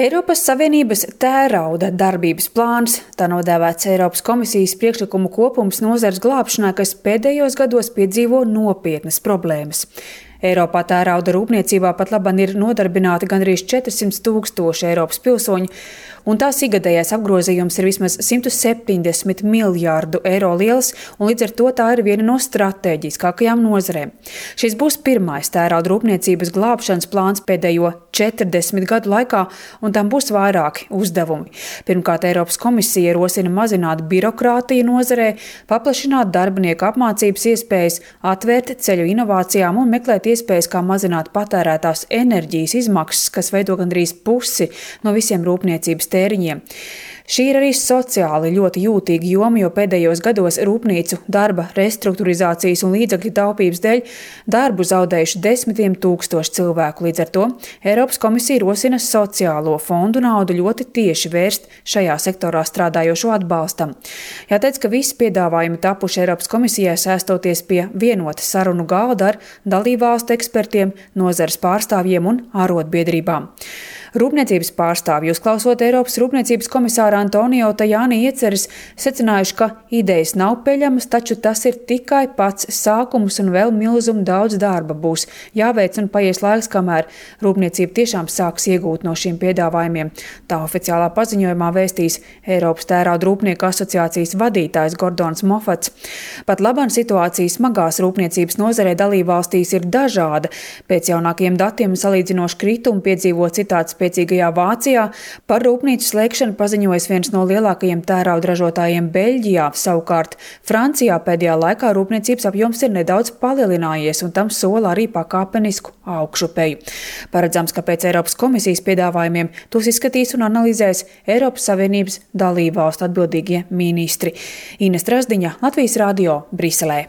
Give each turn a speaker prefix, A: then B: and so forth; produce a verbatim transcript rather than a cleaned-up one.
A: Eiropas Savienības tērauda darbības plāns, tā nodēvēts Eiropas komisijas priekšlikumu kopums nozares glābšanai, kas pēdējos gados piedzīvo nopietnas problēmas. Eiropā tērauda rūpniecībā pat labam ir nodarbināti gandrīz četrsimt tūkstoši Eiropas pilsoņu, un tās ikgadējais apgrozījums ir vismaz simt septiņdesmit miljārdu eiro liels, un līdz ar to tā ir viena no stratēģiskākajām nozarēm. Šis būs pirmais tērauda rūpniecības glābšanas plāns pēdējo četrdesmit gadu laikā, un tam būs vairāki uzdevumi. Pirmkārt, Eiropas komisija rosina mazināt birokrātiju nozarē, paplašināt darbinieku apmācības iespējas, atvērt ceļu inovācijām un meklēt iespējas, kā mazināt patērētās enerģijas izmaksas, kas veido gandrīz pusi no visiem rūpniecības tēriņiem. Šī ir arī sociāli ļoti jūtīga joma, jo pēdējos gados rūpnīcu darba restruktūrizācijas un līdzekļu taupības dēļ darbu zaudējuši desmitiem tūkstoši cilvēku. Līdz ar to Eiropas komisija rosina sociālo fondu naudu ļoti tieši vērst šajā sektorā strādājošo atbalstam. Jāteic, ka visi piedāvājumi tapuši Eiropas komisijai sēstoties pie vienota sarunu galda ar dalībvalstu ekspertiem, nozares pārstāvjiem un arotbiedrībām. Rūpniecības pārstāvji, uzklausot Eiropas rūpniecības komisāru Antonio Tajani ieceres, secinājuši, ka idejas nav peļamas, taču tas ir tikai pats sākums un vēl milzumu daudz darba būs jāveic un paies laiks, kamēr rūpniecība tiešām sāks iegūt no šiem piedāvājumiem. Tā oficiālā paziņojumā vēstīs Eiropas tērauda rūpnieku asociācijas vadītājs Gordons Mofats. Pat labam situācija smagās rūpniecības nozarē dalībvalstīs ir dažāda. Pēc jaunākajiem datiem salīdzinoši kritumu piedzīvo citāds spēcīgajā Vācijā. Par rūpnīcu slēgšanu paziņojas viens no lielākajiem tērauda ražotājiem Beļģijā. Savukārt Francijā pēdējā laikā rūpniecības apjoms ir nedaudz palielinājies, un tam sola arī pakāpenisku augšupeju. Paredzams, ka pēc Eiropas komisijas piedāvājumiem tos izskatīs un analizēs Eiropas Savienības dalībvalstu atbildīgie ministri. Ines Trasdiņa, Latvijas radio, Briselē.